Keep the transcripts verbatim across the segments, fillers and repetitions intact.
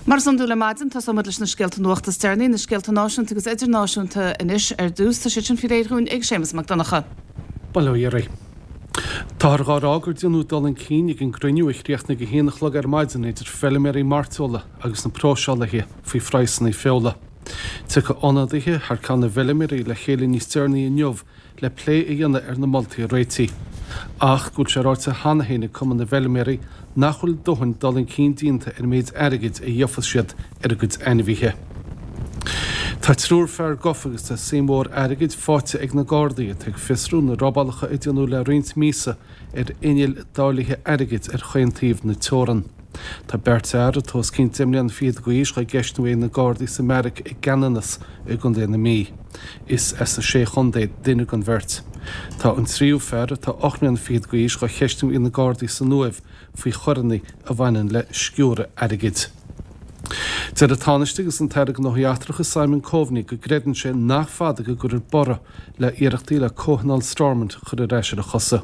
Mar is iondúil ar maidin, tosóimid leis na scéalta nuachta is deireanaí, na scéalta náisiúnta agus idirnáisiúnta anois ar dtús. Tá siad sin faoi réir dhúinn ag Séamus Mac Donncha. Bail ó Dhia oraibh. Táthar dhá rá gur déanadh dul chun cinn ag an gcruinniú a chríochnaigh a haon a chlog ar maidin idir feilméaraí mairteola agus na próiseálaithe faoi phraghsanna feola. Tiocfaidh ionadaithe thar ceann na bhfeilméaraí le chéile níos deireanaí inniu le plé a dhéanamh ar na moltaí a réitigh. Ach go bhfuil sé ráite cheana féin ag Cumann na bhFeilméaraí nach bhfuil dóthain dul chun cinn déanta ar an méid airgid a gheofas siad ar a gcuid ainmhithe. Tá triúr fear gafa agus tá suim mhór airgid faighte ag na Gardaí atá ag fiosrú na robálacha a déanadh le roinnt míosa ar innill dáilithe airgid ar chaon taobh na teorann. Tá beirt fhear atá os cionn deich mbliana fichead d'aois dhá gceistiú ag na Gardaí sa mbeairic i gCeanannas i gContae na Mí. Is as na Sé Chontae duine den bheirt. Tá an tríú fear atá ocht mbliana fichead d'aois dhá cheistiú ag na Gardaí san Uaimh faoi choireanna a bhaineann le sciúradh airgid. Deir an Tánaiste agus an tAire Gnóthaí Eachtracha Simon Coveney go gcreideann sé nach fada go gcuirfear borradh le hiarrachtaí le Comhthionól Stormont a chur ar ais ar a chosa.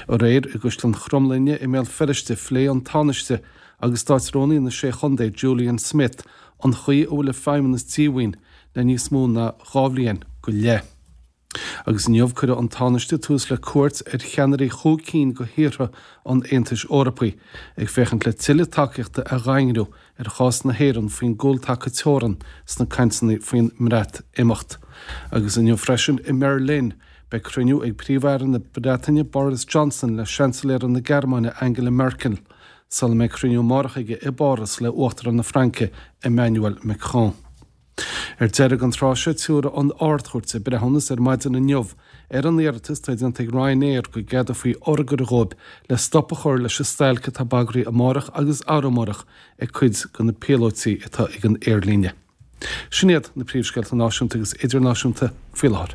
Aréir i gCaisleán Chromghlinne i mBéal Feirste phléigh an Tánaiste agus Státrúnaí na Sé Chontae Julian Smith an chaoi a bhfuil an Feidhmeannas díomhaoin le níos mó ná dhá bhliain go leith. Agus inniu cuirfidh an Tánaiste tús le cuairt ar cheannairí chúig cinn de thíortha an Aontais Eorpaigh, ag féachaint le tuilleadh tacaíochta a dhaingniú ar chás na hÉireann faoin gcúltaca teorann sna cainteanna faoin mBreatimeacht. Agus inniu freisin i mBerlin, beidh cruinniú ag Príomh-Aire na Breataine Boris Johnson le Seansailéir na Gearmáine Angela Merkel, sula mbeidh cruinniú amárach aige i bPáras le Uachtarán na Fraince Emmanuel Macron. Ar deireadh an tráth seo tabharfaidh an Ard-Chúirt a breithiúnas ar maidin inniu ar an iarratas atá déanta ag Ryanair go gceadófaí urghaire dhóibh le stop a chur leis an stailc atá bagraithe amárach agus arú amárach ag cuid de na píolótaí atá ag an aerlíne. Sin iad na príomhscéalta náisiúnta agus idirnáisiúnta faoi láthair.